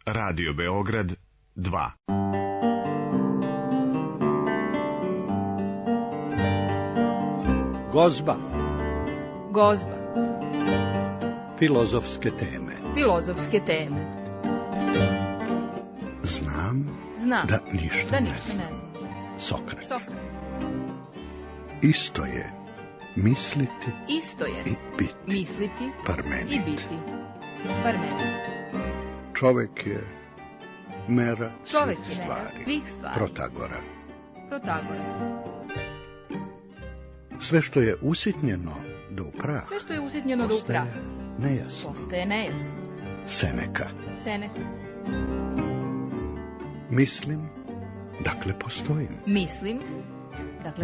Radio Beograd 2. Gozba. Gozba. Filozofske teme. Filozofske teme. Znam da ništa ne znam. Sokrat. Isto je misliti i biti. Misliti Parmenid. i biti. Parmenid. Čovek je mera Čovek svih je mera svih stvari. Protagora. Sve što je usitnjeno do upraha. Postaje nejasno. Seneka. Mislim, dakle postojim.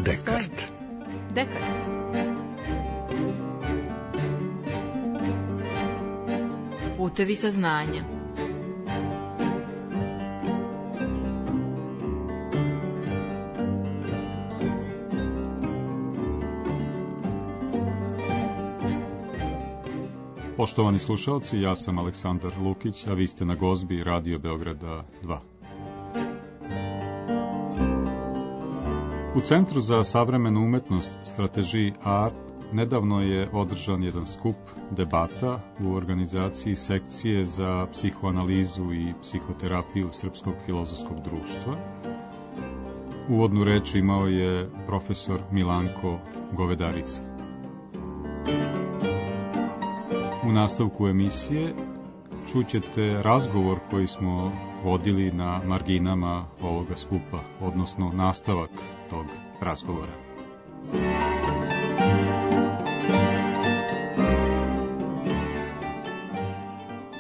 Dekart. Putevi saznanja. Poštovani slušalci, ja sam Aleksandar Lukić, a vi ste na Gozbi Radio Beograda 2. U Centru za savremenu umetnost Strategy Art nedavno je održan jedan skup debata u organizaciji sekcije za psihoanalizu i psihoterapiju Srpskog filozofskog društva. Uvodnu reč imao je profesor Milanko Govedarica. U nastavku emisije čućete razgovor koji smo vodili na marginama ovoga skupa, odnosno nastavak tog razgovora.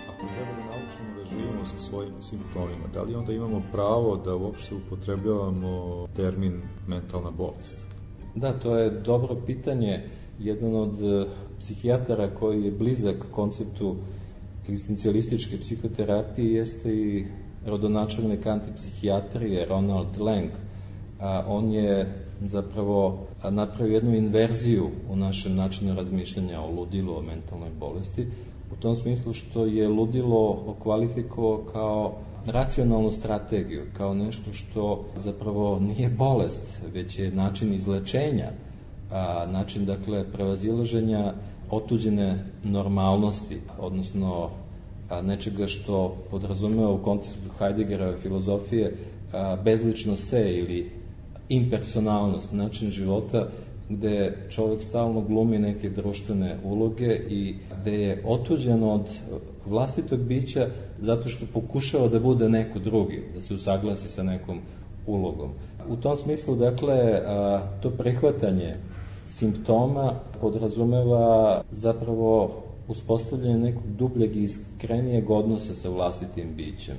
Ako treba da naučimo da živimo sa svojim simptomima, da li onda imamo pravo da uopšte upotrebljavamo termin mentalna bolest? Da, to je dobro pitanje. Jedan od psihijatara koji je blizak konceptu egzistencijalističke psihoterapije jeste i rodonačelnik antipsihijatrije Ronald Lang. On je zapravo napravio jednu inverziju u našem načinu razmišljanja o ludilu, o mentalnoj bolesti, u tom smislu što je ludilo okvalifikovao kao racionalnu strategiju, kao nešto što zapravo nije bolest, već je način izlečenja, način, dakle, prevazilaženja otuđene normalnosti, odnosno nečega što podrazumeva u kontekstu Heideggerove filozofije bezlično se ili impersonalnost, način života gde čovjek stalno glumi neke društvene uloge i gde je otuđen od vlastitog bića zato što pokušava da bude neko drugi, da se usaglasi sa nekom ulogom. U tom smislu, dakle, to prihvatanje simptoma podrazumeva zapravo uspostavljanje nekog dubljeg i iskrenijeg odnosa sa vlastitim bićem.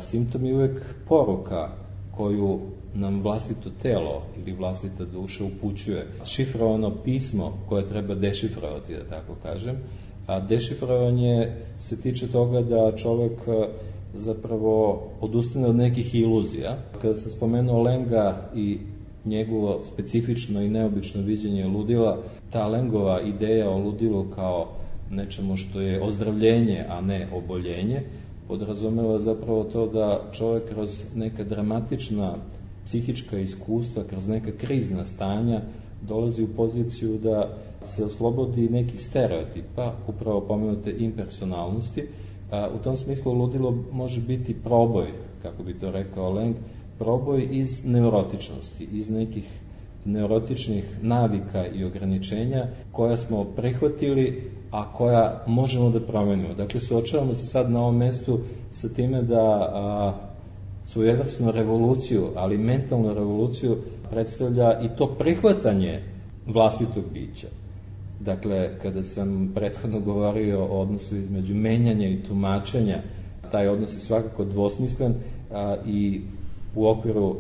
Simptom je uvek poruka koju nam vlastito telo ili vlastita duša upućuje. Šifrovano pismo koje treba dešifrovati, da tako kažem. A dešifrovanje se tiče toga da čovjek zapravo odustane od nekih iluzija. Kada sam spomenuo Lenga i njegovo specifično i neobično viđenje ludila, ta Lengova ideja o ludilu kao nečemu što je ozdravljenje, a ne oboljenje, podrazumeva zapravo to da čovjek kroz neka dramatična psihička iskustva, kroz neka krizna stanja dolazi u poziciju da se oslobodi nekih stereotipa, upravo pomenute impersonalnosti. U tom smislu ludilo može biti proboj, kako bi to rekao Leng, proboj iz neurotičnosti, iz nekih neurotičnih navika i ograničenja koja smo prihvatili, a koja možemo da promenimo. Dakle, suočavamo se sad na ovom mestu sa time da svojevrsnu revoluciju, ali mentalnu revoluciju predstavlja i to prihvatanje vlastitog bića. Dakle, kada sam prethodno govorio o odnosu između menjanja i tumačenja, taj odnos je svakako dvosmislen i u okviru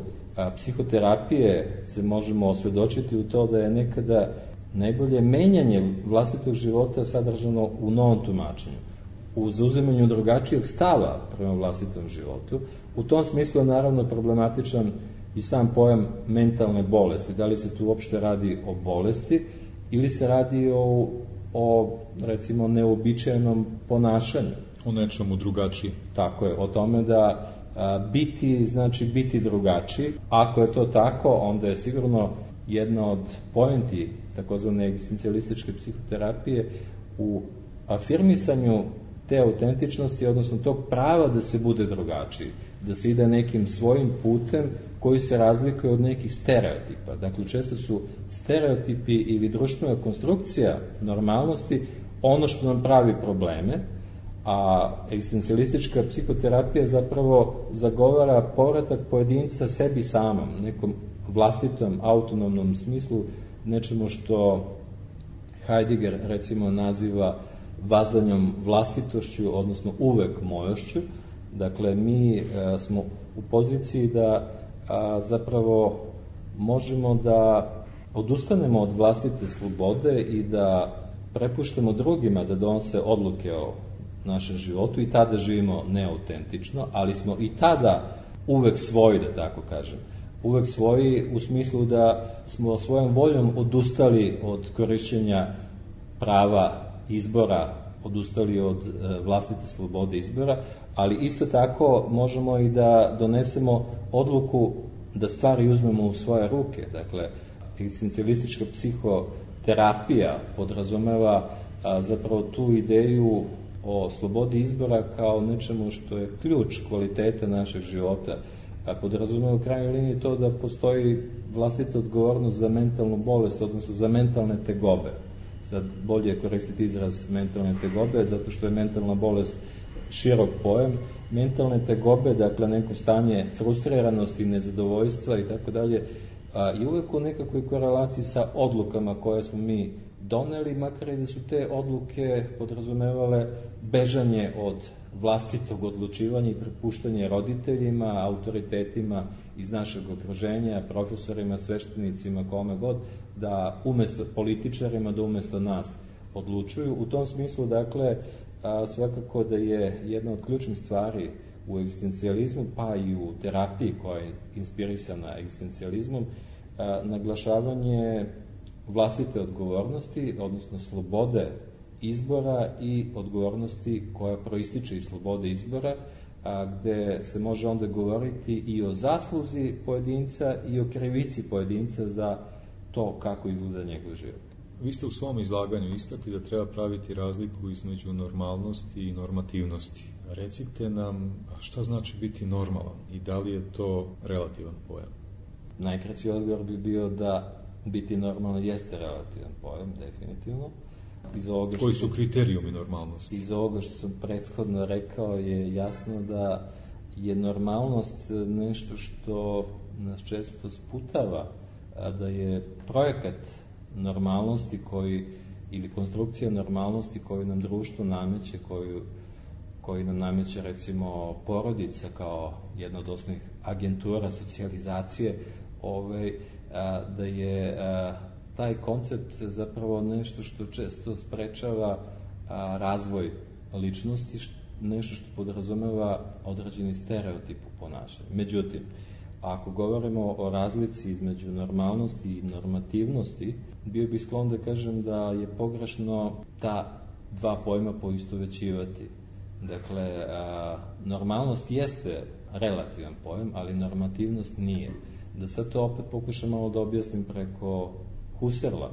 psihoterapije se možemo osvedočiti u to da je nekada najbolje menjanje vlastitog života sadržano u novom tumačenju, u zauzimanju drugačijeg stava prema vlastitom životu. U tom smislu je naravno problematičan i sam pojam mentalne bolesti. Da li se tu uopšte radi o bolesti ili se radi o recimo, neobičajenom ponašanju. O nečemu drugačiji. Tako je, o tome da biti znači biti drugačiji. Ako je to tako, onda je sigurno jedna od poenti takozvane egzistencijalističke psihoterapije u afirmisanju te autentičnosti, odnosno tog prava da se bude drugačiji, da se ide nekim svojim putem koji se razlikuje od nekih stereotipa. Dakle, često su stereotipi ili društvena konstrukcija normalnosti ono što nam pravi probleme, a egzistencijalistička psihoterapija zapravo zagovara povratak pojedinca sebi samom, nekom vlastitom, autonomnom smislu, nečemu što Heidegger recimo naziva vazdanjom vlastitošću, odnosno uvek mojošću. Dakle, mi smo u poziciji da zapravo možemo da odustanemo od vlastite slobode i da prepuštamo drugima da donose odluke o našem životu i tada živimo neautentično, ali smo i tada uvek svoji, da tako kažem. Uvek svoji u smislu da smo svojom voljom odustali od korišćenja prava izbora, odustali od vlastite slobode izbora, ali isto tako možemo i da donesemo odluku da stvari uzmemo u svoje ruke. Dakle, egzistencijalistička psihoterapija podrazumeva zapravo tu ideju o slobodi izbora kao nečemu što je ključ kvalitete našeg života. Podrazumeva u krajnjoj liniji to da postoji vlastita odgovornost za mentalnu bolest, odnosno za mentalne tegobe. Sad bolje je koristiti izraz mentalne tegobe, zato što je mentalna bolest širok pojam. Mentalne tegobe, dakle neko stanje frustriranosti, nezadovoljstva i tako dalje, i uvek u nekakvoj korelaciji sa odlukama koje smo mi doneli, makar i da su te odluke podrazumevale bežanje od vlastitog odlučivanja i prepuštanje roditeljima, autoritetima iz našeg okruženja, profesorima, sveštenicima, kome god, da umesto političarima, da umesto nas odlučuju. U tom smislu, dakle, svakako da je jedna od ključnih stvari u egzistencijalizmu, pa i u terapiji koja je inspirisana egzistencijalizmom, naglašavanje vlastite odgovornosti, odnosno slobode izbora i odgovornosti koja proističe iz slobode izbora, gde se može onda govoriti i o zasluzi pojedinca i o krivici pojedinca za to kako izgleda njegov život. Vi ste u svom izlaganju istakli da treba praviti razliku između normalnosti i normativnosti. Recite nam šta znači biti normalan i da li je to relativan pojam? Najkraći odgovor bi bio da biti normalan jeste relativan pojam, definitivno. Koji su kriterijumi normalnosti? Iz ovoga što sam prethodno rekao je jasno da je normalnost nešto što nas često sputava, da je projekat normalnosti ili konstrukcija normalnosti koju nam društvo nameće, koju nam nameće recimo porodica kao jedna od osnovnih agentura socijalizacije, da je taj koncept zapravo nešto što često sprečava razvoj ličnosti, nešto što podrazumeva određeni stereotip u ponašanju. Međutim, ako govorimo o razlici između normalnosti i normativnosti, bio bih sklon da kažem da je pogrešno ta dva pojma poistovećivati. Dakle, normalnost jeste relativan pojam, ali normativnost nije. Da sad to opet pokušam malo da objasnim preko Husserla.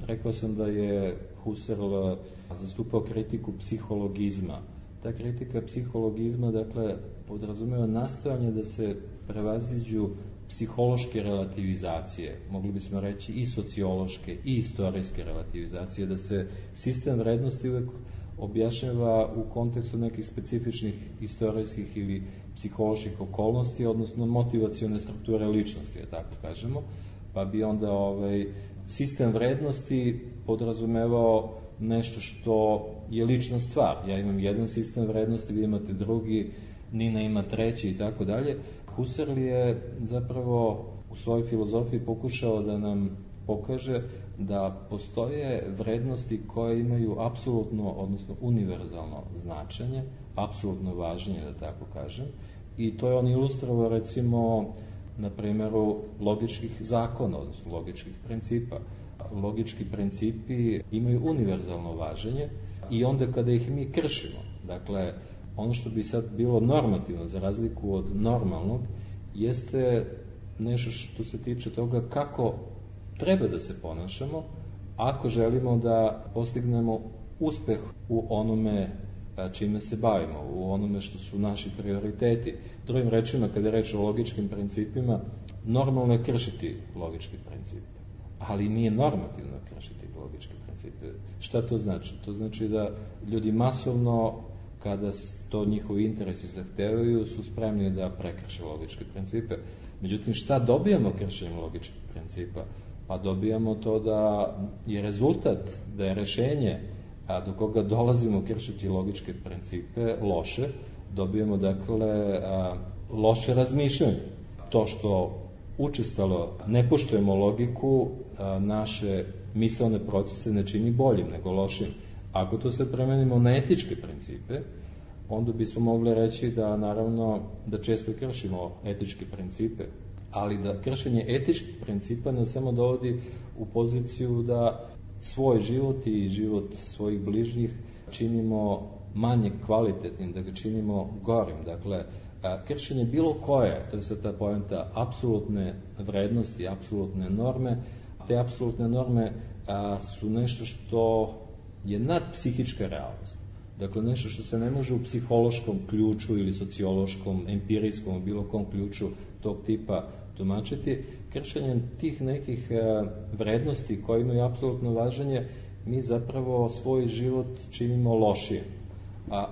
Rekao sam da je Husserl zastupao kritiku psihologizma. Ta kritika psihologizma, dakle, podrazumeva nastojanje da se prevaziđu psihološke relativizacije, mogli bismo reći i sociološke i istorijske relativizacije, da se sistem vrednosti uvek objašnjava u kontekstu nekih specifičnih istorijskih ili psiholoških okolnosti, odnosno motivacione strukture ličnosti, da tako kažemo, pa bi onda sistem vrednosti podrazumevao nešto što je lična stvar. Ja imam jedan sistem vrednosti, vi imate drugi, Nina ima treći i tako dalje. Husserl je zapravo u svojoj filozofiji pokušao da nam pokaže da postoje vrednosti koje imaju apsolutno, odnosno univerzalno značenje, apsolutno važnije, da tako kažem, i to je on ilustrovao recimo na primjeru logičkih zakona, odnosno logičkih principa. Logički principi imaju univerzalno važenje i onda kada ih mi kršimo, dakle, ono što bi sad bilo normativno, za razliku od normalnog, jeste nešto što se tiče toga kako treba da se ponašamo ako želimo da postignemo uspeh u onome čime se bavimo, u onome što su naši prioriteti. Drugim rečima, kada je reč o logičkim principima, normalno je kršiti logički princip, ali nije normativno kršiti logičke principe. Šta to znači? To znači da ljudi masovno, kada to njihovi interesi zahtevaju, su spremni da prekrše logičke principe. Međutim, šta dobijamo kršenjem logičkih principa? Pa dobijamo to da je rezultat, da je rešenje, a do koga dolazimo kršeći logičke principe, loše. Dobijamo, dakle, loše razmišljanje. To što učestalo ne poštujemo logiku, naše misaone procese ne čini boljim, nego lošim. Ako to se premenimo na etičke principe, onda bismo mogli reći da, naravno, da često kršimo etičke principe, ali da kršenje etičkih principa nas samo dovodi u poziciju da svoj život i život svojih bližnjih činimo manje kvalitetnim, da ga činimo gorim. Dakle, kršenje bilo koje, to je sad ta poenta, apsolutne vrednosti, apsolutne norme, te apsolutne norme su nešto što je nadpsihička realnost. Dakle, nešto što se ne može u psihološkom ključu ili sociološkom, empirijskom, bilo kom ključu tog tipa tumačiti. Kršenjem tih nekih vrednosti koje imaju apsolutno važenje, mi zapravo svoj život činimo lošije.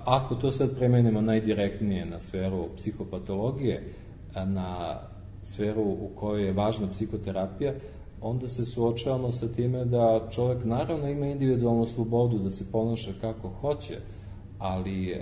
Ako to sad premenimo najdirektnije na sferu psihopatologije, na sferu u kojoj je važna psihoterapija, onda se suočavamo sa time da čovjek naravno ima individualnu slobodu da se ponaša kako hoće, ali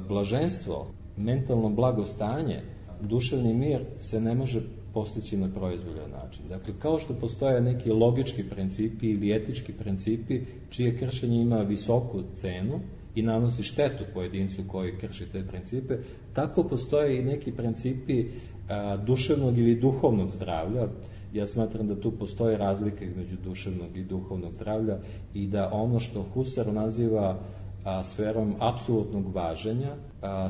blaženstvo, mentalno blagostanje, duševni mir se ne može postići na proizvoljan način. Dakle, kao što postoje neki logički principi ili etički principi čije kršenje ima visoku cenu i nanosi štetu pojedincu koji krši te principe, tako postoje i neki principi duševnog ili duhovnog zdravlja. Ja smatram da tu postoji razlika između duševnog i duhovnog zdravlja i da ono što Husserl naziva sferom apsolutnog važenja,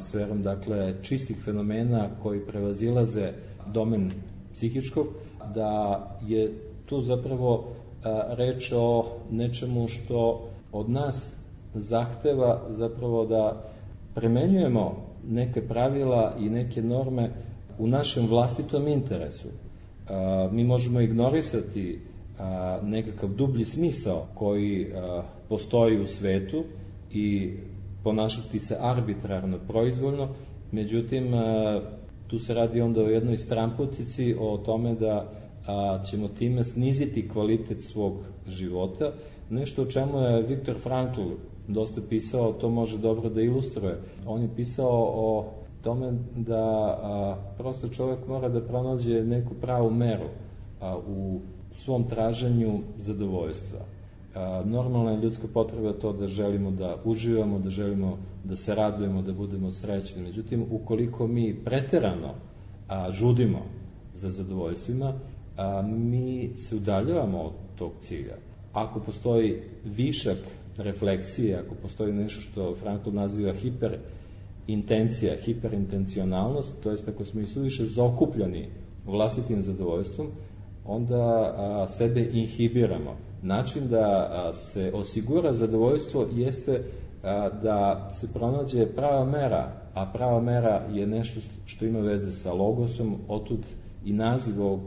sferom, dakle, čistih fenomena koji prevazilaze domen psihičkog, da je tu zapravo reč o nečemu što od nas zahteva zapravo da premenjujemo neke pravila i neke norme u našem vlastitom interesu. Mi možemo ignorisati nekakav dublji smisao koji postoji u svetu i ponašati se arbitrarno, proizvoljno, međutim, tu se radi onda o jednoj stramputici, o tome da ćemo time sniziti kvalitet svog života, nešto o čemu je Viktor Frankl dosta pisao, to može dobro da ilustruje. On je pisao o tome da prosto čovjek mora da pronađe neku pravu meru u svom traženju zadovoljstva. Normalna je ljudska potreba to da želimo da uživamo, da želimo da se radujemo, da budemo srećni. Međutim, ukoliko mi preterano žudimo za zadovoljstvima, mi se udaljavamo od tog cilja. Ako postoji višak refleksije, ako postoji nešto što Frankl naziva hiperintencija, hiperintencionalnost, to jest ako smo i suviše zaokupljeni vlastitim zadovoljstvom, onda sebe inhibiramo. Način da se osigura zadovoljstvo jeste da se pronađe prava mera, a prava mera je nešto što ima veze sa logosom, otud i naziv ovog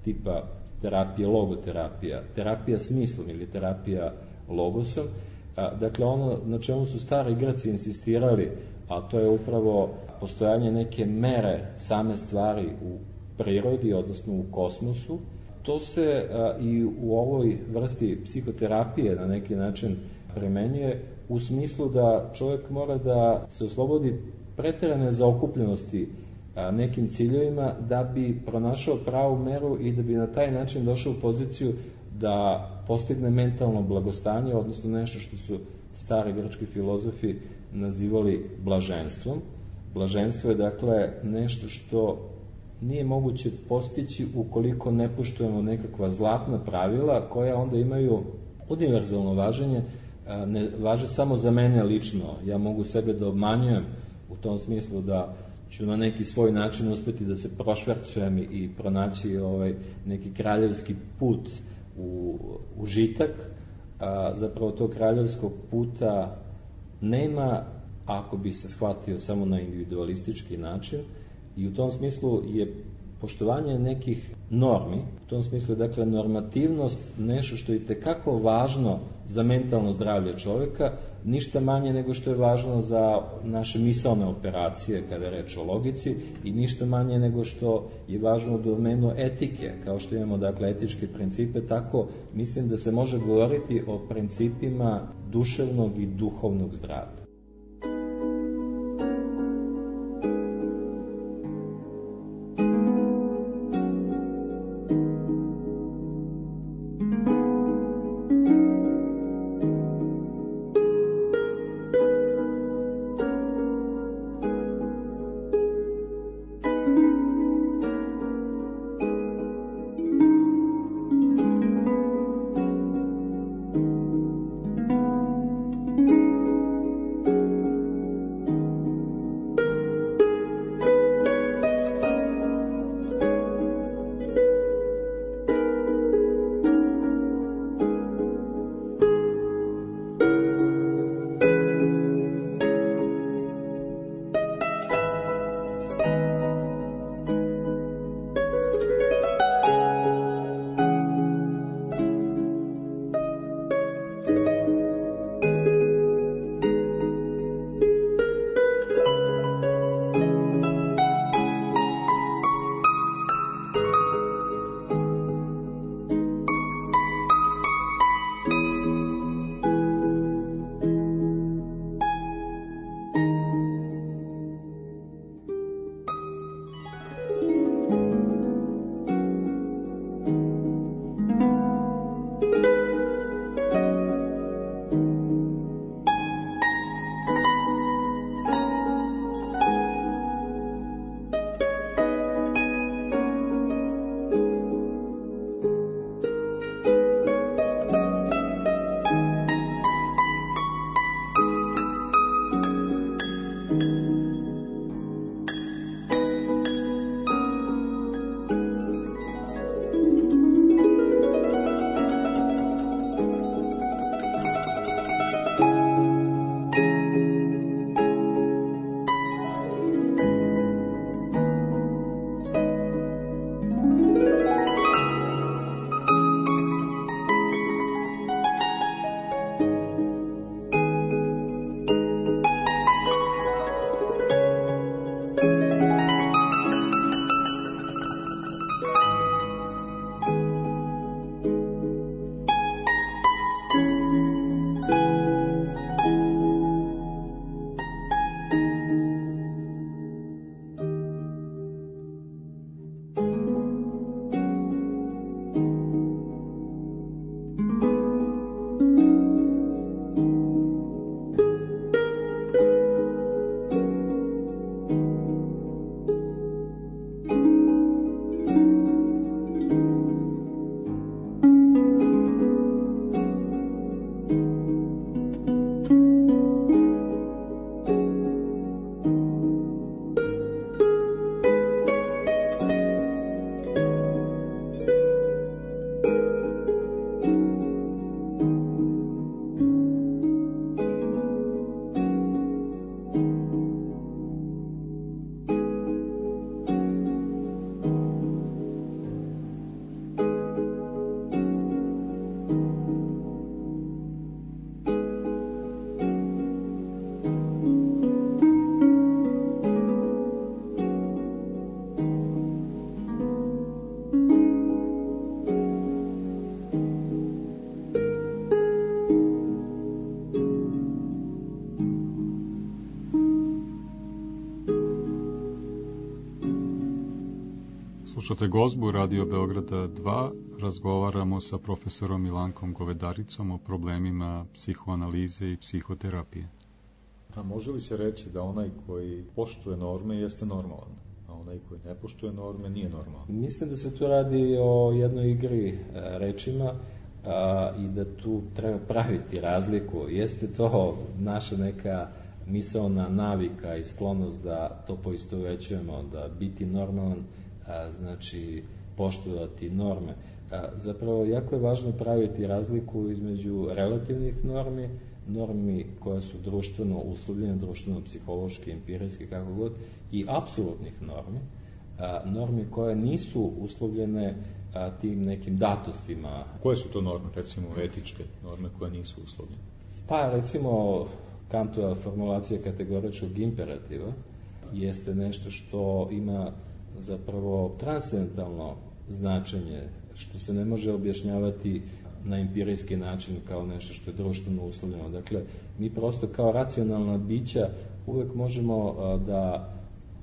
tipa terapije, logoterapija, terapija smislom ili terapija logosom. Dakle, ono na čemu su stari Grci insistirali, a to je upravo postojanje neke mere same stvari u prirodi, odnosno u kosmosu, to se i u ovoj vrsti psihoterapije na neki način primenjuje u smislu da čovjek mora da se oslobodi preterane zaokupljenosti nekim ciljevima da bi pronašao pravu meru i da bi na taj način došao u poziciju da postigne mentalno blagostanje, odnosno nešto što su stari grčki filozofi nazivali blaženstvom. Blaženstvo je, dakle, nešto što nije moguće postići ukoliko ne poštujemo nekakva zlatna pravila koja onda imaju univerzalno važenje ne važe samo za mene lično. Ja mogu sebe da obmanjujem u tom smislu da ću na neki svoj način uspeti da se prošvercujem i pronaći neki kraljevski put u užitak. Zapravo tog kraljevskog puta nema ako bi se shvatio samo na individualistički način, i u tom smislu je poštovanje nekih normi, u tom smislu je dakle normativnost nešto što je itekako važno za mentalno zdravlje čoveka, ništa manje nego što je važno za naše misaone operacije kada je reč o logici, i ništa manje nego što je važno u domenu etike, kao što imamo dakle etičke principe, tako mislim da se može govoriti o principima duševnog i duhovnog zdravlja. Slušate Gozbu Radio Beograda 2, razgovaramo sa profesorom Milankom Govedaricom o problemima psihoanalize i psihoterapije. A može li se reći da onaj koji poštuje norme jeste normalan, a onaj koji ne poštuje norme nije normalan? Mislim da se tu radi o jednoj igri rečima, i da tu treba praviti razliku. Jeste to naša neka misaona navika i sklonost da to poistovećujemo, da biti normalan znači poštovati norme. Zapravo, jako je važno praviti razliku između relativnih normi koje su društveno uslovljene, društveno, psihološki, empirijski, kako god, i apsolutnih normi koje nisu uslovljene tim nekim datostima. Koje su to norme, recimo etičke norme koje nisu uslovljene? Pa, recimo, Kantova formulacija kategoričkog imperativa jeste nešto što ima zapravo transcendentalno značenje, što se ne može objašnjavati na empirijski način kao nešto što je društveno uslovljeno. Dakle, mi prosto kao racionalna bića uvek možemo da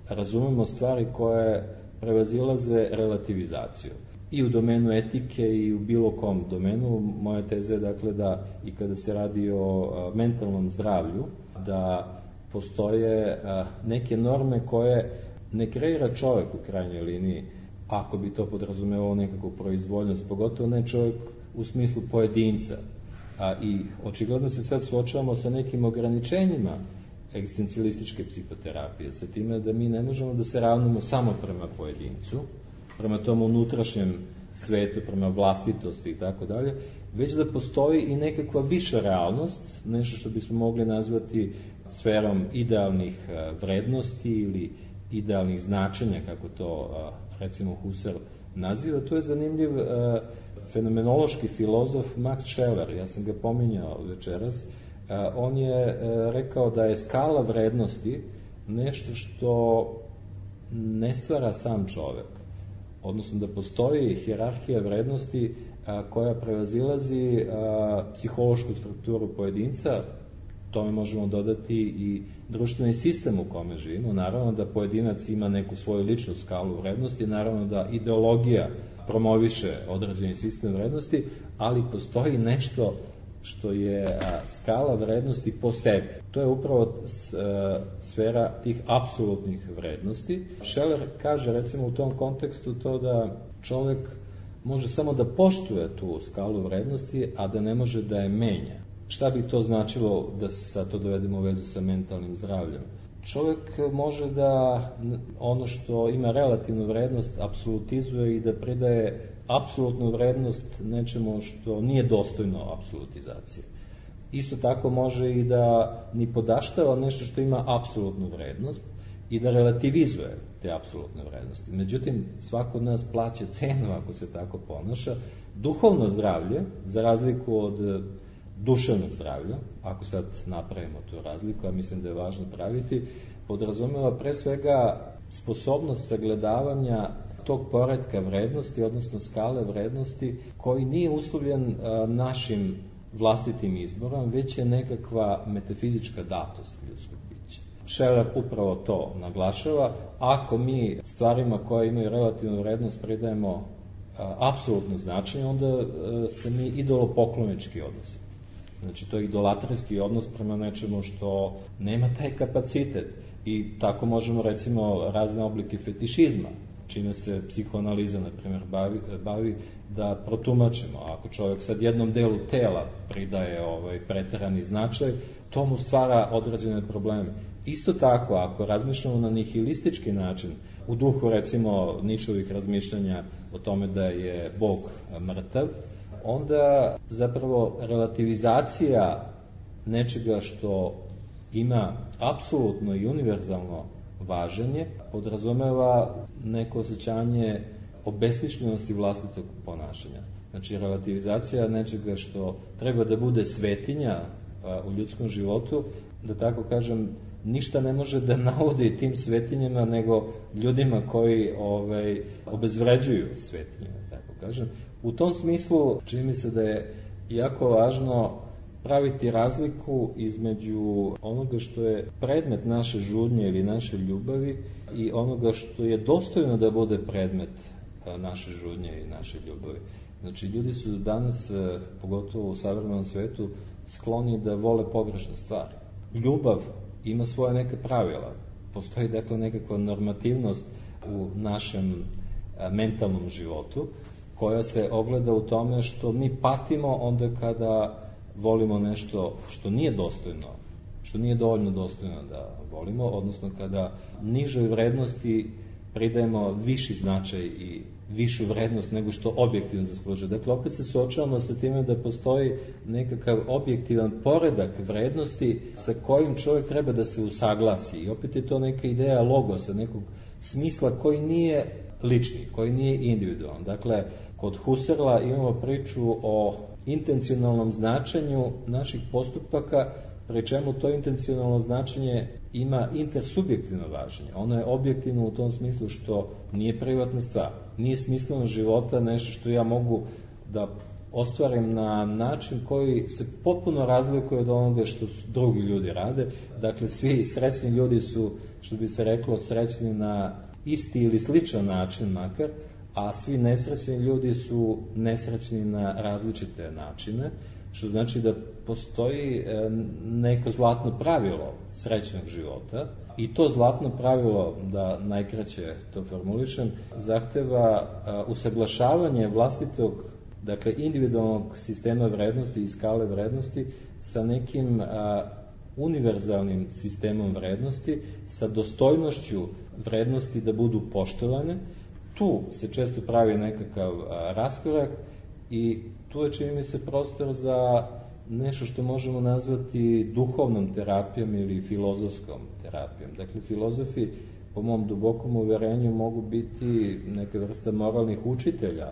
razumemo stvari koje prevazilaze relativizaciju. I u domenu etike i u bilo kom domenu. Moja teza je dakle da i kada se radi o mentalnom zdravlju, da postoje neke norme koje ne kreira čovek u krajnjoj liniji, ako bi to podrazumevalo nekakvu proizvoljnost, pogotovo ne čovjek u smislu pojedinca. I očigledno se sad suočavamo sa nekim ograničenjima egzistencijalističke psihoterapije, sa time da mi ne možemo da se ravnamo samo prema pojedincu, prema tom unutrašnjem svetu, prema vlastitosti i tako dalje, već da postoji i nekakva viša realnost, nešto što bismo mogli nazvati sferom idealnih vrednosti ili idealnih značenja, kako to recimo Husserl naziva. To je zanimljiv fenomenološki filozof Max Scheler, ja sam ga pominjao večeras. On je rekao da je skala vrednosti nešto što ne stvara sam čovek, odnosno da postoji hijerarhija vrednosti koja prevazilazi psihološku strukturu pojedinca. Tome možemo dodati i društveni sistem u kome živimo. Naravno da pojedinac ima neku svoju ličnu skalu vrednosti, naravno da ideologija promoviše određeni sistem vrednosti, ali postoji nešto što je skala vrednosti po sebi. To je upravo sfera tih apsolutnih vrednosti. Scheler kaže recimo u tom kontekstu to da čovek može samo da poštuje tu skalu vrednosti, a da ne može da je menja. Šta bi to značilo da sad to dovedemo u vezu sa mentalnim zdravljem? Čovjek može da ono što ima relativnu vrednost apsolutizuje i da pridaje apsolutnu vrednost nečemu što nije dostojno apsolutizacije. Isto tako može i da ni podaštava nešto što ima apsolutnu vrednost i da relativizuje te apsolutne vrednosti. Međutim, svako od nas plaća cenu ako se tako ponaša. Duhovno zdravlje, za razliku od duševnog zdravlja, ako sad napravimo tu razliku, a mislim da je važno praviti, podrazumeva pre svega sposobnost sagledavanja tog poretka vrednosti, odnosno skale vrednosti, koji nije uslovljen našim vlastitim izborom, već je nekakva metafizička datost ljudskog bića. Scheler upravo to naglašava. Ako mi stvarima koje imaju relativnu vrednost pridajemo apsolutno značenje, onda se mi idolopoklonički odnosimo. Znači, to je idolatarski odnos prema nečemu što nema taj kapacitet. I tako možemo, recimo, razne oblike fetišizma, čime se psihoanaliza, na primjer, bavi da protumačimo. Ako čovjek sad jednom delu tela pridaje preterani značaj, to mu stvara određene probleme. Isto tako, ako razmišljamo na nihilistički način, u duhu, recimo, Ničovih razmišljanja o tome da je Bog mrtav, onda zapravo relativizacija nečega što ima apsolutno i univerzalno važenje podrazumeva neko osjećanje obesmišljenosti vlastitog ponašanja. Znači, relativizacija nečega što treba da bude svetinja u ljudskom životu, da tako kažem, ništa ne može da navodi tim svetinjama nego ljudima koji obezvređuju svetinje, tako kažem. U tom smislu čini mi se da je jako važno praviti razliku između onoga što je predmet naše žudnje ili naše ljubavi i onoga što je dostojno da bude predmet naše žudnje i naše ljubavi. Znači, ljudi su danas, pogotovo u savremenom svetu, skloni da vole pogrešne stvari. Ljubav ima svoje neke pravila. Postoji dakle nekakva normativnost u našem mentalnom životu koja se ogleda u tome što mi patimo onda kada volimo nešto što nije dostojno, što nije dovoljno dostojno da volimo, odnosno kada nižoj vrednosti pridajemo viši značaj i višu vrednost nego što objektivno zaslužuje. Dakle, opet se suočavamo sa time da postoji nekakav objektivan poredak vrednosti sa kojim čovjek treba da se usaglasi. I opet je to neka ideja logosa, nekog smisla koji nije lični, koji nije individualan. Dakle, kod Husserla imamo priču o intencionalnom značenju naših postupaka, pri čemu to intencionalno značenje ima intersubjektivno važenje. Ono je objektivno u tom smislu što nije privatna stvar. Nije smisleno života nešto što ja mogu da ostvarim na način koji se potpuno razlikuje od onoga što drugi ljudi rade. Dakle, svi srećni ljudi su, što bi se reklo, srećni na isti ili sličan način makar, a svi nesrećni ljudi su nesrećni na različite načine, što znači da postoji neko zlatno pravilo srećnog života i to zlatno pravilo, da najkraće to formulišem, zahteva usaglašavanje vlastitog, dakle individualnog sistema vrednosti i skale vrednosti sa nekim univerzalnim sistemom vrednosti, sa dostojnošću vrednosti da budu poštovane. Tu se često pravi nekakav raskorak i tu je, čini mi se, prostor za nešto što možemo nazvati duhovnom terapijom ili filozofskom terapijom. Dakle, filozofi, po mom dubokom uverenju, mogu biti neka vrsta moralnih učitelja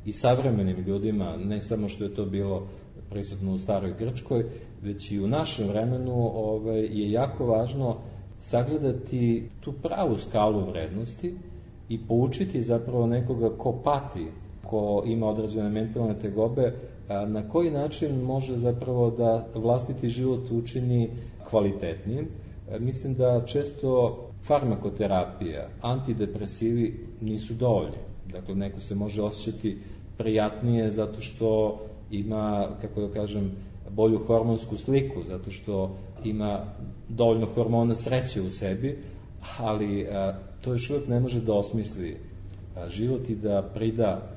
i savremenim ljudima, ne samo što je to bilo prisutno u staroj Grčkoj, već i u našem vremenu je jako važno sagledati tu pravu skalu vrednosti i poučiti zapravo nekoga ko pati, ko ima određene mentalne tegobe, na koji način može zapravo da vlastiti život učini kvalitetnijim. Mislim da često farmakoterapija, antidepresivi nisu dovoljni. Dakle, neko se može osjećati prijatnije zato što ima, kako da kažem, bolju hormonsku sliku, zato što ima dovoljno hormona sreće u sebi, ali to još uvijek ne može da osmisli život i da prida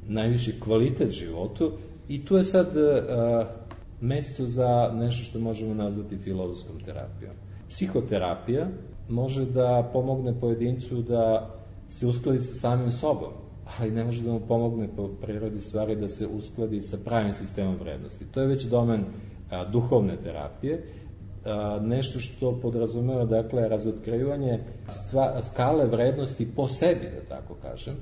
najviši kvalitet životu. I tu je sad mesto za nešto što možemo nazvati filozofskom terapijom. Psihoterapija može da pomogne pojedincu da se uskladi sa samim sobom, ali ne može da mu pomogne po prirodi stvari da se uskladi sa pravim sistemom vrednosti. To je već domen duhovne terapije, nešto što podrazumeva, dakle, razotkrivanje skale vrednosti po sebi, da tako kažem,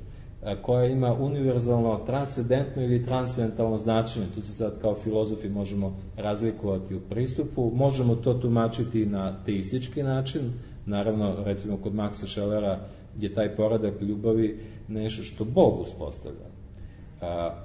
koja ima univerzalno, transcendentno ili transcendentalno značenje. Tu se sad kao filozofi možemo razlikovati u pristupu, možemo to tumačiti na teistički način, naravno, recimo kod Maxa Schellera je taj poredak ljubavi nešto što Bog uspostavlja.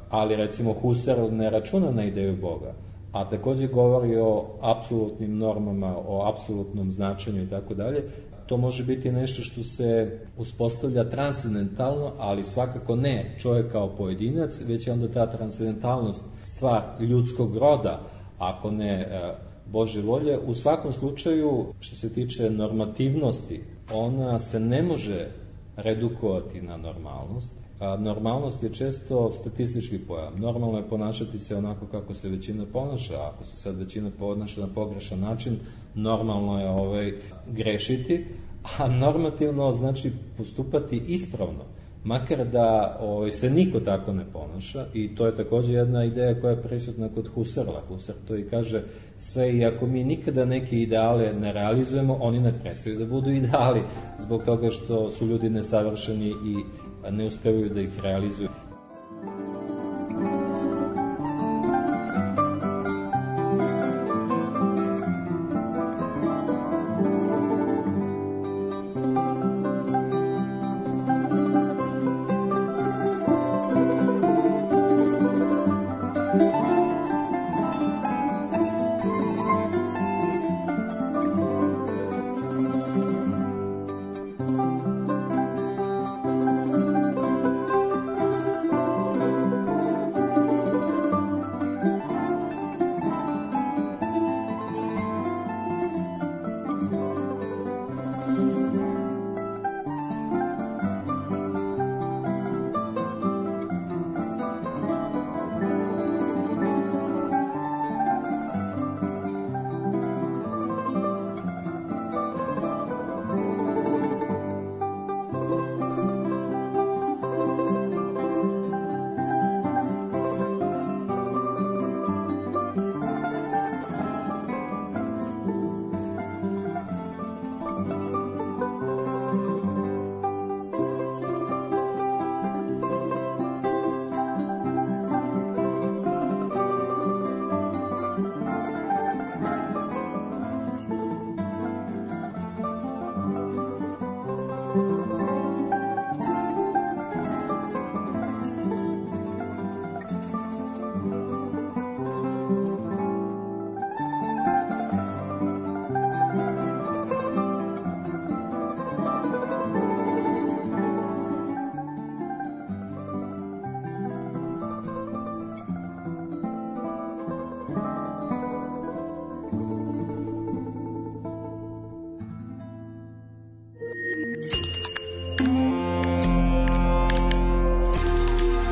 Ali recimo Husserl ne računa na ideju Boga, a također govori o apsolutnim normama, o apsolutnom značenju i tako dalje. To može biti nešto što se uspostavlja transcendentalno, ali svakako ne čovjek kao pojedinac, već je onda ta transcendentalnost stvar ljudskog roda, ako ne Božje volje. U svakom slučaju, što se tiče normativnosti, ona se ne može redukovati na normalnost. Normalnost je često statistički pojam. Normalno je ponašati se onako kako se većina ponaša. Ako se sad većina ponaša na pogrešan način, normalno je grešiti, a normativno znači postupati ispravno, makar da se niko tako ne ponaša. I to je također jedna ideja koja je prisutna kod Husserla. Husserl to i kaže, sve i ako mi nikada neke ideale ne realizujemo, oni ne prestaju da budu ideali zbog toga što su ljudi nesavršeni i ne uspevaju da ih realizuju.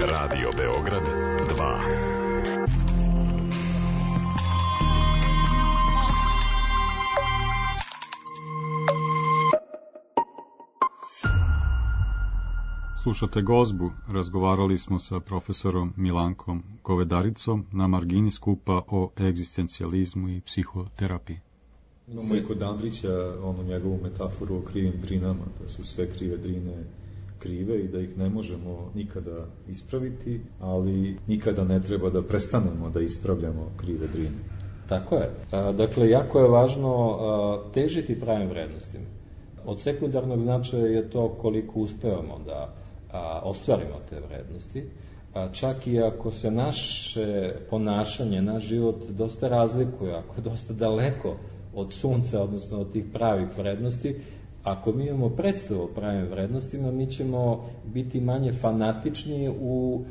Radio Beograd 2. Slušate Gozbu, razgovarali smo sa profesorom Milankom Kovedaricom na margini skupa o egzistencijalizmu i psihoterapiji. Imamo i kod Andrića onu njegovu metaforu o krivim drinama, da su sve krive drine krive i da ih ne možemo nikada ispraviti, ali nikada ne treba da prestanemo da ispravljamo krive drine. Tako je. Dakle, jako je važno težiti pravim vrednostima. Od sekundarnog značaja je to koliko uspevamo da ostvarimo te vrednosti, čak i ako se naše ponašanje, naš život dosta razlikuje, ako je dosta daleko od sunca, odnosno od tih pravih vrednosti, ako mi imamo predstavu o pravim vrednostima, mi ćemo biti manje fanatični u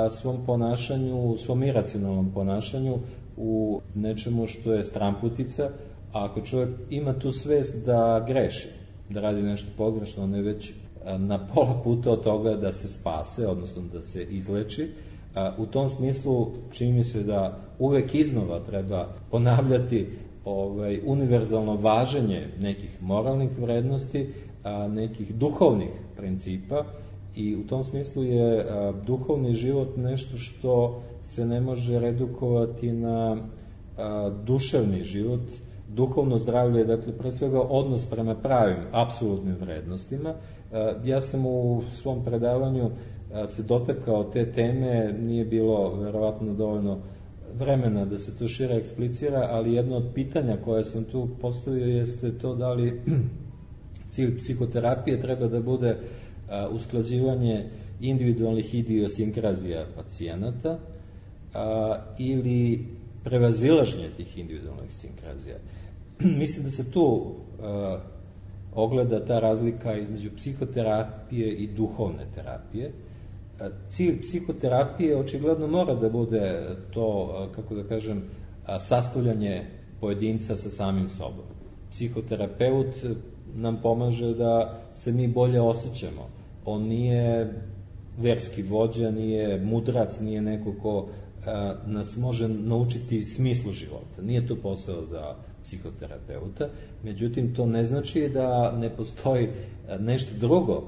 svom ponašanju, u svom iracionalnom ponašanju, u nečemu što je stramputica, a ako čovjek ima tu svest da greši, da radi nešto pogrešno, on je već na pola puta od toga da se spase, odnosno da se izleči. U tom smislu čini mi se da uvek iznova treba ponavljati univerzalno važenje nekih moralnih vrednosti, nekih duhovnih principa, i u tom smislu je duhovni život nešto što se ne može redukovati na duševni život. Duhovno zdravlje je, dakle, pre svega odnos prema pravim, apsolutnim vrednostima. Ja sam u svom predavanju se dotakao te teme, nije bilo verovatno dovoljno vremena da se to šire eksplicira, ali jedno od pitanja koje sam tu postavio jeste to da li cilj psihoterapije treba da bude usklađivanje individualnih idiosinkrazija pacijenata ili prevazilaženje tih individualnih sinkrazija. Mislim da se tu ogleda ta razlika između psihoterapije i duhovne terapije. Cilj psihoterapije očigledno mora da bude to, kako da kažem, sastavljanje pojedinca sa samim sobom. Psihoterapeut nam pomaže da se mi bolje osjećamo. On nije verski vođa, nije mudrac, nije neko ko nas može naučiti smislu života. Nije to posao za psihoterapeuta, međutim to ne znači da ne postoji nešto drugo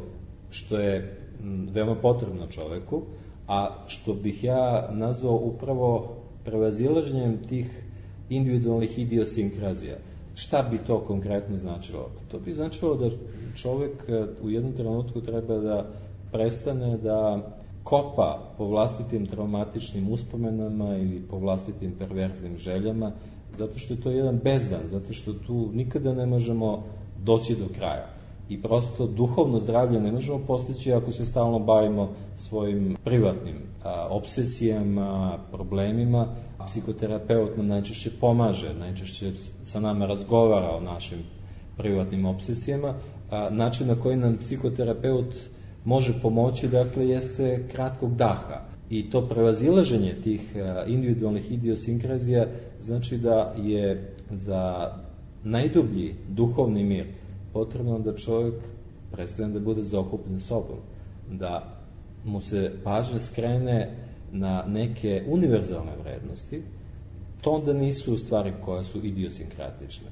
što je veoma potrebno čoveku, a što bih ja nazvao upravo prevazilaženjem tih individualnih idiosinkrazija. Šta bi to konkretno značilo? To bi značilo da čovek u jednom trenutku treba da prestane da kopa po vlastitim traumatičnim uspomenama ili po vlastitim perverznim željama, zato što je to jedan bezdan, zato što tu nikada ne možemo doći do kraja. I prosto duhovno zdravlje ne možemo postići ako se stalno bavimo svojim privatnim obsesijama, problemima. Psihoterapeut nam najčešće pomaže, najčešće sa nama razgovara o našim privatnim obsesijama. Način na koji nam psihoterapeut može pomoći, dakle, jeste kratkog daha. I to prevazilaženje tih individualnih idiosinkrazija znači da je za najdublji duhovni mir potrebno da čovjek prestane da bude zaokupljen sobom, da mu se pažnja skrene na neke univerzalne vrednosti. To onda nisu stvari koje su idiosinkratične.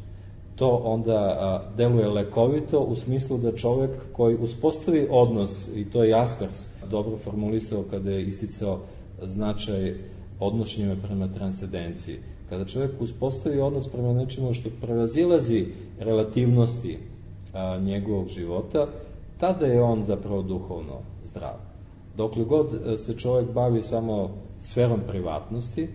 To onda deluje lekovito u smislu da čovjek koji uspostavi odnos, i to je Jaspers dobro formulisao kada je isticao značaj odnošenja prema transcendenciji. Kada čovjek uspostavi odnos prema nečemu što prevazilazi relativnosti njegovog života, tada je on zapravo duhovno zdrav. Dokle god se čovjek bavi samo sferom privatnosti,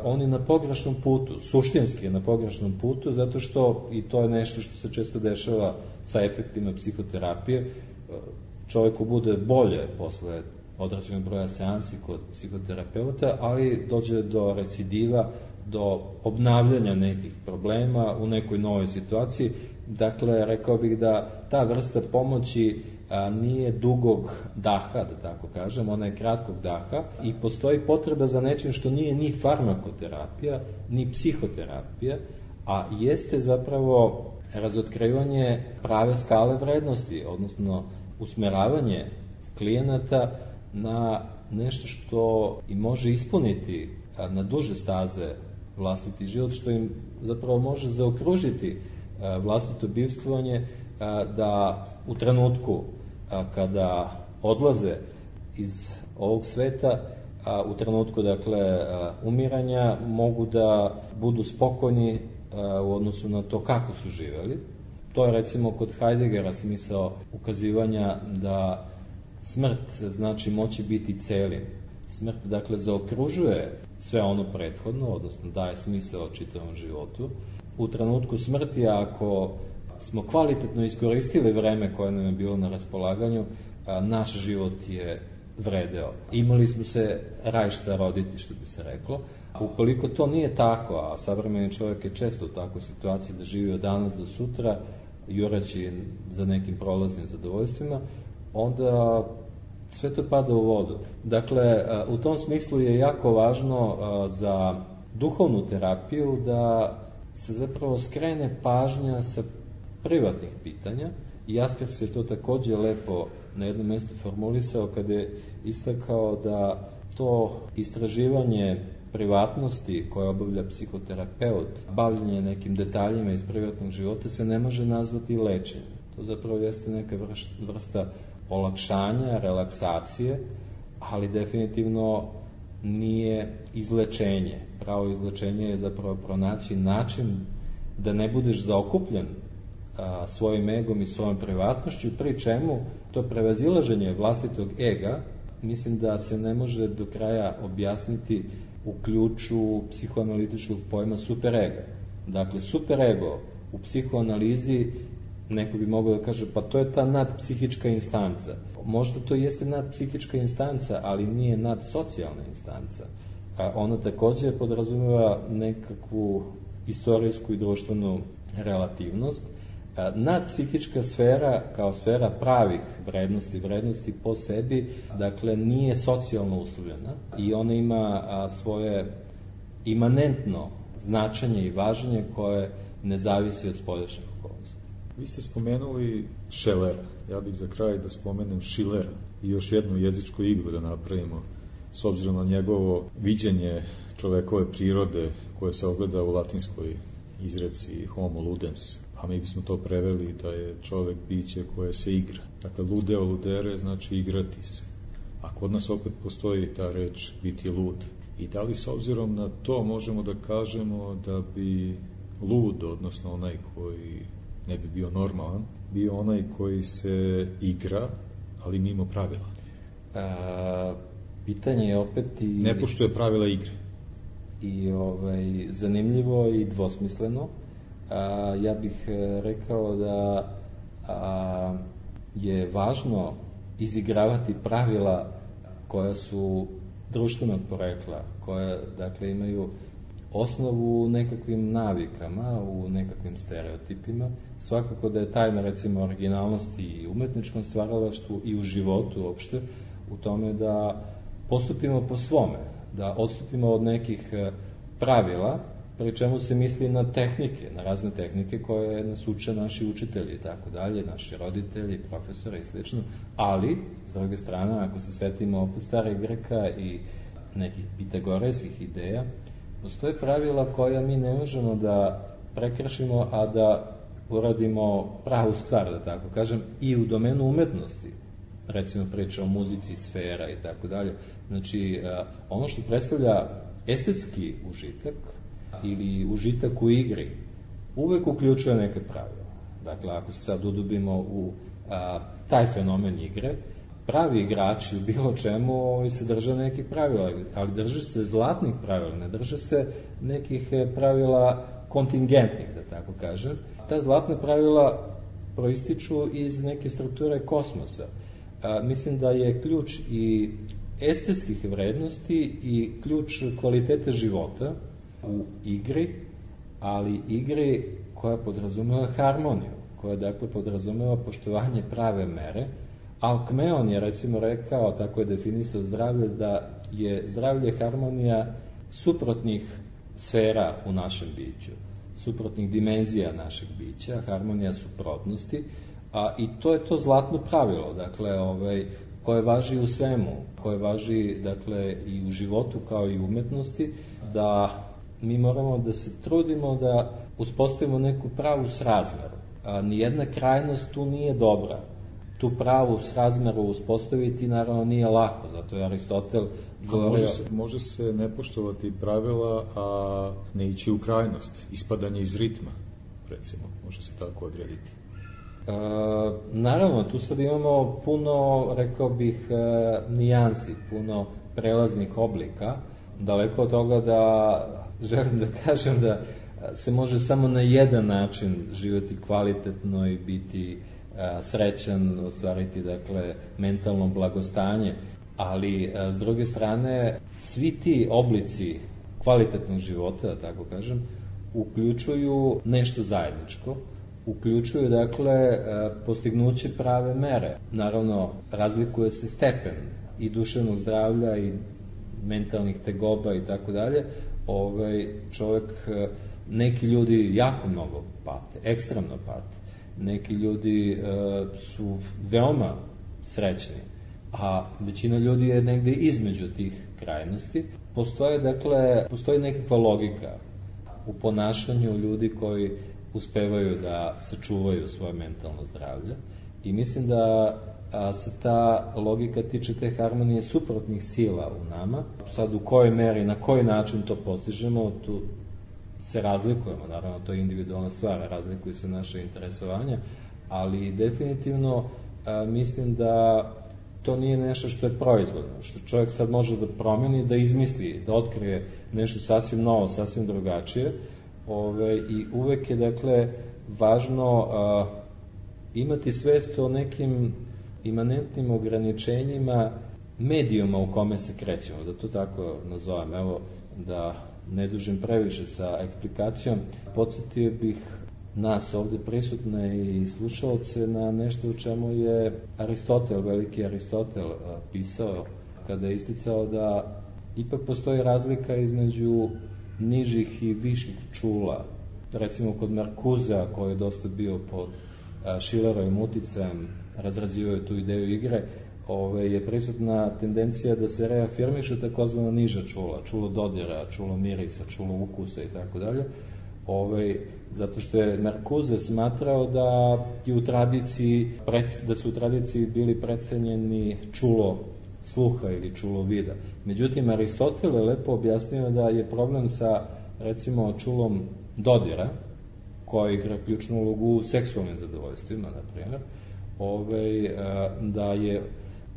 on je na pogrešnom putu, suštinski je na pogrešnom putu, zato što, i to je nešto što se često dešava sa efektima psihoterapije, čovjeku bude bolje posle određenog broja seansi kod psihoterapeuta, ali dođe do recidiva, do obnavljanja nekih problema u nekoj novoj situaciji. Dakle, rekao bih da ta vrsta pomoći nije dugog daha, da tako kažem, ona je kratkog daha i postoji potreba za nečim što nije ni farmakoterapija, ni psihoterapija, a jeste zapravo razotkrivanje prave skale vrednosti, odnosno usmeravanje klijenata na nešto što im može ispuniti na duže staze vlastiti život, što im zapravo može zaokružiti vlastito bivstvovanje, da u trenutku kada odlaze iz ovog sveta, u trenutku dakle umiranja, mogu da budu spokojni u odnosu na to kako su živeli. To je recimo kod Heideggera smisao ukazivanja da smrt znači moći biti celim. Smrt dakle zaokružuje sve ono prethodno, odnosno daje smisao čitavom životu. U trenutku smrti, ako smo kvalitetno iskoristili vreme koje nam je bilo na raspolaganju, naš život je vredeo. Imali smo se raj šta roditi, što bi se reklo. Ukoliko to nije tako, a savremeni čovjek je često u takvoj situaciji da živi od danas do sutra, jureći za nekim prolaznim zadovoljstvima, onda sve to pada u vodu. Dakle, u tom smislu je jako važno za duhovnu terapiju da se zapravo skrene pažnja sa privatnih pitanja, i Jaspers je to takođe lepo na jednom mjestu formulisao kada je istakao da to istraživanje privatnosti koje obavlja psihoterapeut, bavljenje nekim detaljima iz privatnog života, se ne može nazvati lečenjem. To zapravo jeste neka vrsta olakšanja, relaksacije, ali definitivno nije izlečenje. Pravo izlečenje je zapravo pronaći način da ne budeš zaokupljen svojim egom i svojom privatnošću, pri čemu to prevazilaženje vlastitog ega, mislim da se ne može do kraja objasniti u ključu psihoanalitičkog pojma superega. Dakle, superego u psihoanalizi, neko bi mogao da kaže, pa to je ta nadpsihička instanca. Možda to jeste nadpsihička instanca, ali nije nadsocijalna instanca. Ona takođe podrazumeva nekakvu istorijsku i društvenu relativnost. Nadpsihička sfera, kao sfera pravih vrednosti po sebi, dakle, nije socijalno uslovljena i ona ima svoje imanentno značenje i važenje koje ne zavisi od spoljašnjih okolnosti. Vi ste spomenuli Schellera, ja bih za kraj da spomenem Schillera i još jednu jezičku igru da napravimo, s obzirom na njegovo viđenje čovekove prirode koje se ogleda u latinskoj izreci homo ludens, a mi bismo to preveli da je čovek biće koje se igra. Dakle, ludeo ludere znači igrati se. A kod nas opet postoji ta reč biti lud. I da li s obzirom na to možemo da kažemo da bi lud, odnosno onaj koji ne bi bio normalan, bio onaj koji se igra, ali mimo pravila? Pitanje je opet i... Ne poštuje pravila igre. I zanimljivo i dvosmisleno. Ja bih rekao da je važno izigravati pravila koja su društvenog porekla, koja dakle imaju osnovu u nekakvim navikama, u nekakvim stereotipima. Svakako da je tajna recimo originalnosti i umetničkom stvaralaštvu i u životu uopšte u tome da postupimo po svome, da odstupimo od nekih pravila, pri čemu se misli na tehnike, na razne tehnike koje nas uče naši učitelji i tako dalje, naši roditelji, profesori i slično, ali, s druge strane, ako se setimo opet starih Greka i nekih pitagorejskih ideja, postoje pravila koja mi ne možemo da prekršimo, a da uradimo pravu stvar, da tako kažem, i u domenu umetnosti, recimo priča o muzici, sfera i tako dalje. Znači, ono što predstavlja estetski užitak ili užitak u igri, uvek uključuje neke pravila. Dakle, ako se sad udubimo u taj fenomen igre, pravi igrači u bilo čemu se drže nekih pravila, ali drže se zlatnih pravila, ne drže se nekih pravila kontingentnih, da tako kažem. Ta zlatna pravila proističu iz neke strukture kosmosa. Mislim da je ključ i estetskih vrednosti i ključ kvalitete života u igri, ali igri koja podrazumeva harmoniju, koja dakle podrazumeva poštovanje prave mere. Alkmeon je recimo rekao, tako je definisao zdravlje, da je zdravlje harmonija suprotnih sfera u našem biću, suprotnih dimenzija našeg bića, harmonija suprotnosti, I to je to zlatno pravilo, dakle, koje važi u svemu, koje važi, dakle, i u životu kao i u umetnosti, da mi moramo da se trudimo da uspostavimo neku pravu srazmeru. Nijedna krajnost tu nije dobra. Tu pravu srazmeru uspostaviti naravno nije lako, zato je Aristotel govorio... Može se ne poštovati pravila, a ne ići u krajnost, ispadanje iz ritma, recimo, može se tako odrediti. Naravno, tu sad imamo puno, rekao bih, nijansi, puno prelaznih oblika. Daleko od toga da želim da kažem da se može samo na jedan način živjeti kvalitetno i biti srećan, ostvariti, dakle, mentalno blagostanje, ali s druge strane svi ti oblici kvalitetnog života, da tako kažem, uključuju nešto zajedničko, uključuju, dakle, postignuće prave mere. Naravno, razlikuje se stepen i duševnog zdravlja i mentalnih tegoba i tako dalje. Čovjek, neki ljudi jako mnogo pate, ekstremno pate. Neki ljudi su veoma srećni, a većina ljudi je negde između tih krajnosti. Postoji nekakva logika u ponašanju ljudi koji uspevaju da sačuvaju svoje mentalno zdravlje i mislim da se ta logika tiče te harmonije suprotnih sila u nama. Sad u kojoj meri, na koji način to postižemo, tu se razlikujemo, naravno to je individualna stvar, razlikuju se naše interesovanja, ali definitivno mislim da to nije nešto što je proizvodno, što čovjek sad može da promeni, da izmisli, da otkrije nešto sasvim novo, sasvim drugačije, i uvek je, dakle, važno imati svest o nekim imanentnim ograničenjima medijuma u kome se krećemo, da to tako nazovem. Evo, da ne dužim previše sa eksplikacijom, podsjetio bih nas ovde prisutne i slušaoce na nešto u čemu je Aristotel, veliki Aristotel, pisao kada je isticao da ipak postoji razlika između nižih i viših čula. Recimo kod Markuzea, koji je dosta bio pod Schillerovim uticajem, razrazivao je tu ideju igre, je prisutna tendencija da se reafirmiše takozvana niža čula, čulo dodira, čulo mirisa, čulo ukusa i tako dalje. Zato što je Markuze smatrao da su u tradiciji bili precenjeni čulo sluha ili čulo vida. Međutim, Aristotel je lepo objasnio da je problem sa, recimo, čulom dodira, koji igra ključnu ulogu u seksualnim zadovoljstvima, na primjer, da je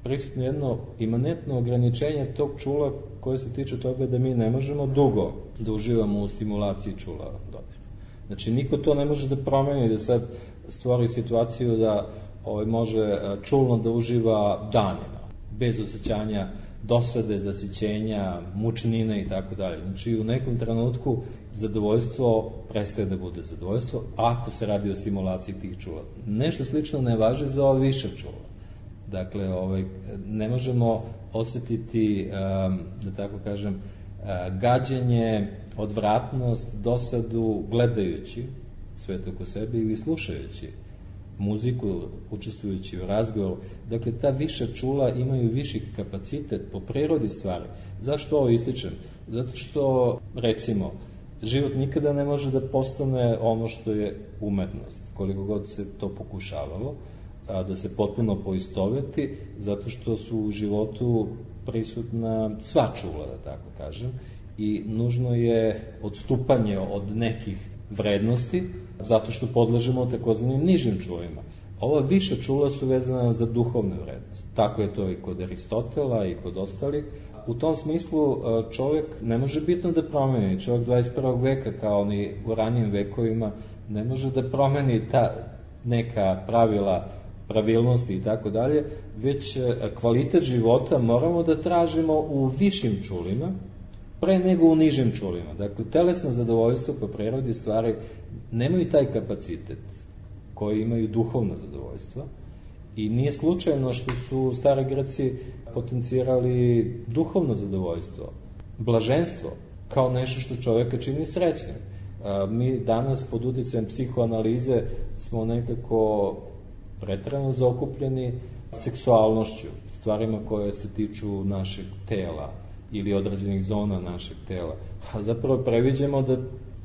prisutno jedno imanentno ograničenje tog čula koje se tiče toga da mi ne možemo dugo da uživamo u stimulaciji čula dodira. Znači, niko to ne može da promeni, da sad stvori situaciju da može čulno da uživa danima, bez osjećanja dosade, zasićenja, mučnine i tako dalje. Znači, u nekom trenutku zadovoljstvo prestaje da bude zadovoljstvo ako se radi o stimulaciji tih čula. Nešto slično ne važi za ova viša čula. Dakle, ne možemo osetiti, da tako kažem, gađenje, odvratnost, dosadu gledajući svet oko sebe ili slušajući muziku, učestvujući u razgovoru. Dakle, ta viša čula imaju viši kapacitet po prirodi stvari. Zašto ovo ističem? Zato što, recimo, život nikada ne može da postane ono što je umetnost, koliko god se to pokušavalo, da se potpuno poistoveti, zato što su u životu prisutna sva čula, da tako kažem, i nužno je odstupanje od nekih vrednosti, zato što podležemo takozvanim nižim čulima. Ova viša čula su vezana za duhovne vrednosti. Tako je to i kod Aristotela i kod ostalih. U tom smislu čovjek ne može bitno da promeni. Čovjek 21. veka, kao ni u ranijim vekovima, ne može da promeni ta neka pravila, pravilnosti i tako dalje, već kvalitet života moramo da tražimo u višim čulima, pre nego u nižim čulima. Dakle, telesno zadovoljstvo po prirodi stvari nemaju taj kapacitet koji imaju duhovno zadovoljstvo i nije slučajno što su stari Greci potencirali duhovno zadovoljstvo, blaženstvo, kao nešto što čoveka čini srećnim. Mi danas pod uticajem psihoanalize smo nekako preterano zaokupljeni seksualnošću, stvarima koje se tiču našeg tela ili određenih zona našeg tela. A zapravo previđamo da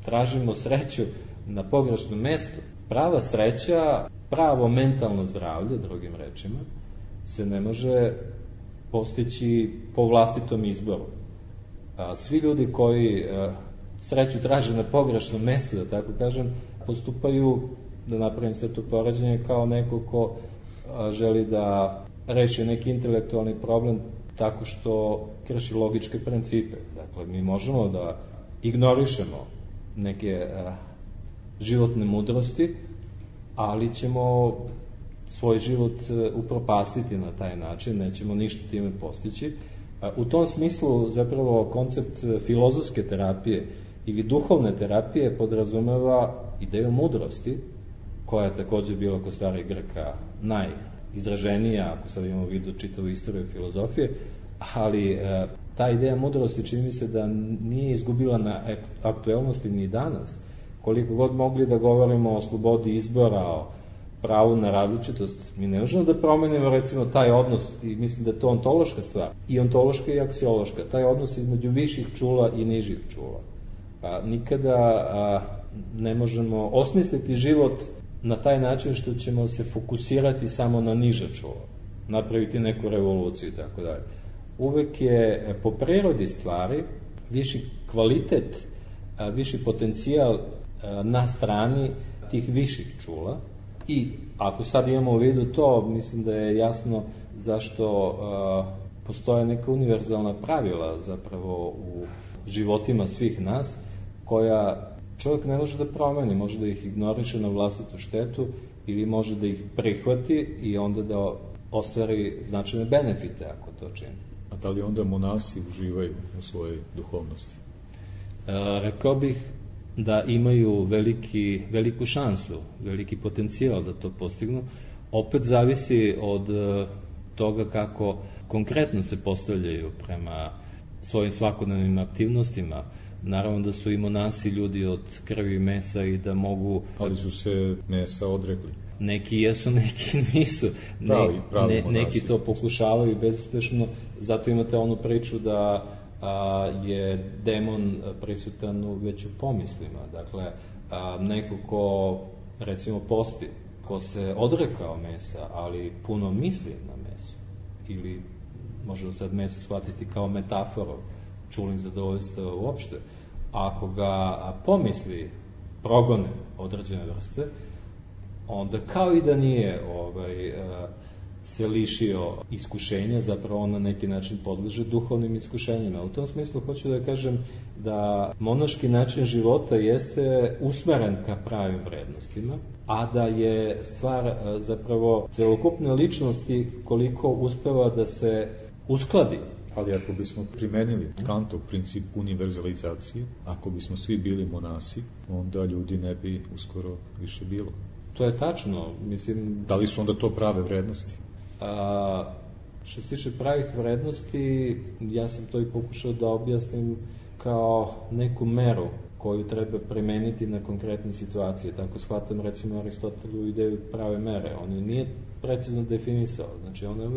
tražimo sreću na pogrešnom mestu. Prava sreća, pravo mentalno zdravlje, drugim rečima, se ne može postići po vlastitom izboru. Svi ljudi koji sreću traže na pogrešnom mestu, da tako kažem, postupaju, da napravim sve to poređenje, kao neko ko želi da reši neki intelektualni problem tako što krši logičke principe. Dakle, mi možemo da ignorišemo neke životne mudrosti, ali ćemo svoj život upropastiti na taj način, nećemo ništa time postići. U tom smislu zapravo koncept filozofske terapije ili duhovne terapije podrazumeva ideju mudrosti, koja je također bila kod starih Grka najizraženija, ako sad imamo u vidu čitavu istoriju filozofije, ali ta ideja mudrosti čini mi se da nije izgubila na aktuelnosti ni danas. Koliko god mogli da govorimo o slobodi izbora, o pravu na različitost, mi ne možemo da promenimo recimo taj odnos, i mislim da je to ontološka stvar, i ontološka i aksiološka, taj odnos između viših čula i nižih čula. Pa nikada ne možemo osmisliti život na taj način što ćemo se fokusirati samo na niže čula, napraviti neku revoluciju i tako dalje. Uvek je po prirodi stvari viši kvalitet, viši potencijal na strani tih viših čula. I ako sad imamo u vidu to, mislim da je jasno zašto postoje neka univerzalna pravila zapravo u životima svih nas, koja čovjek ne može da promeni, može da ih ignoriše na vlastitu štetu ili može da ih prihvati i onda da ostvari značajne benefite ako to čini. A da li onda monasi uživaju u svojoj duhovnosti? Rekao bih da imaju veliku šansu, veliki potencijal da to postignu. Opet zavisi od toga kako konkretno se postavljaju prema svojim svakodnevnim aktivnostima. Naravno da su i monasi ljudi od krvi i mesa i da mogu... Ali su se mesa odrekli. Neki jesu, neki nisu. Neki to pokušavaju bezuspešno, zato imate onu priču da je demon prisutan već u pomislima. Dakle, neko ko recimo posti, ko se odrekao mesa, ali puno misli na meso, ili možemo sad meso shvatiti kao metaforu čulnih zadovoljstva uopšte, ako ga pomisli progone određene vrste, onda kao i da nije se lišio iskušenja, zapravo on na neki način podleže duhovnim iskušenjima. U tom smislu hoću da kažem da monaški način života jeste usmeren ka pravim vrednostima, a da je stvar zapravo celokupne ličnosti koliko uspeva da se uskladi. Ali ako bismo primenili Kantov princip univerzalizacije, ako bismo svi bili monasi, onda ljudi ne bi uskoro više bilo. To je tačno, mislim... Da li su onda to prave vrednosti? Što se tiče pravih vrednosti, ja sam to i pokušao da objasnim kao neku meru koju treba primeniti na konkretne situacije. Tako shvatam recimo Aristotelu ideju prave mere. On je nije precizno definisao. Znači on je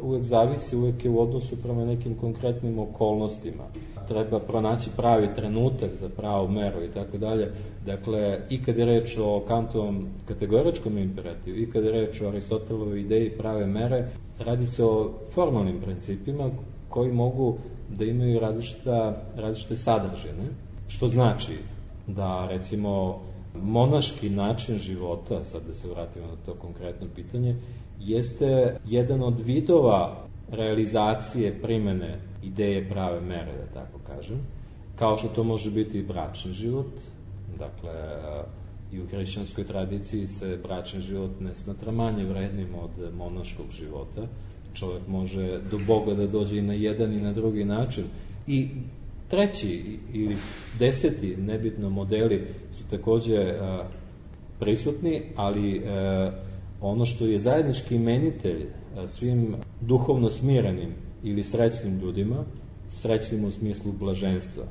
uvek zavisi, uvek je u odnosu prema nekim konkretnim okolnostima. Treba pronaći pravi trenutak za pravu meru i tako dalje. Dakle, i kad je reč o Kantovom kategoričkom imperativu, i kad je reč o Aristotelovoj ideji prave mere, radi se o formalnim principima koji mogu da imaju različite sadržine, što znači da, recimo, monaški način života, sad da se vratimo na to konkretno pitanje, jeste jedan od vidova realizacije primene ideje prave mere, da tako kažem, kao što to može biti i bračni život. Dakle, i u hrišćanskoj tradiciji se bračni život ne smatra manje vrednim od monaškog života. Čovjek može do Boga da dođe i na jedan i na drugi način. I treći ili 10, nebitno modeli, su takođe prisutni, ali ono što je zajednički imenitelj svim duhovno smirenim ili srećnim ljudima, srećnim u smislu blaženstva,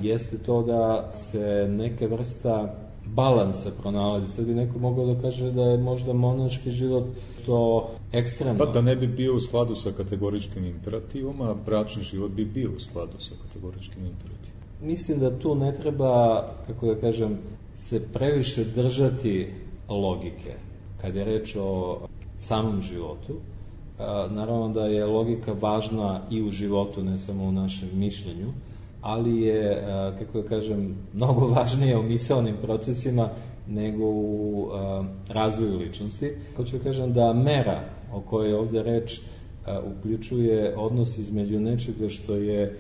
jeste to da se neka vrsta balansa pronalazi. Sad bi neko mogao da kaže da je možda monaški život to ekstremno. Pa da ne bi bio u skladu sa kategoričkim imperativom, a bračni život bi bio u skladu sa kategoričkim imperativom. Mislim da tu ne treba, kako da kažem, se previše držati logike. Kad je reč o samom životu, naravno da je logika važna i u životu, ne samo u našem mišljenju, ali je, kako da kažem, mnogo važnije u misaonim procesima nego u razvoju ličnosti. Hoću da kažem da mera o kojoj je ovde reč uključuje odnos između nečega što je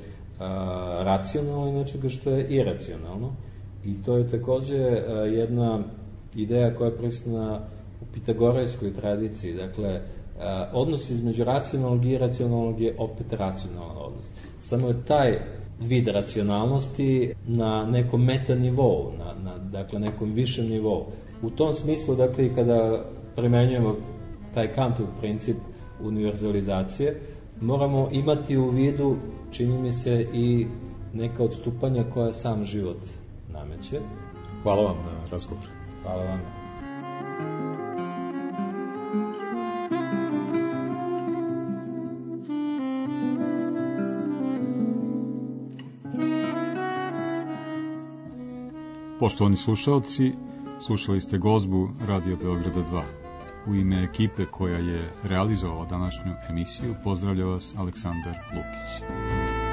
racionalno i nečega što je iracionalno. I to je takođe jedna ideja koja je prisutna u pitagorejskoj tradiciji. Dakle, odnos između racionalnog i iracionalnog je opet racionalan odnos. Samo je taj vid racionalnosti na nekom meta nivou, dakle nekom višem nivou. U tom smislu, dakle, i kada primenjujemo taj Kantov princip univerzalizacije, moramo imati u vidu, čini mi se, i neka odstupanja koja sam život nameće. Hvala vam na razgovor. Hvala vam. Poštovani slušalci, slušali ste gozbu Radio Beograda 2. U ime ekipe koja je realizovala današnju emisiju pozdravlja vas Aleksandar Lukić.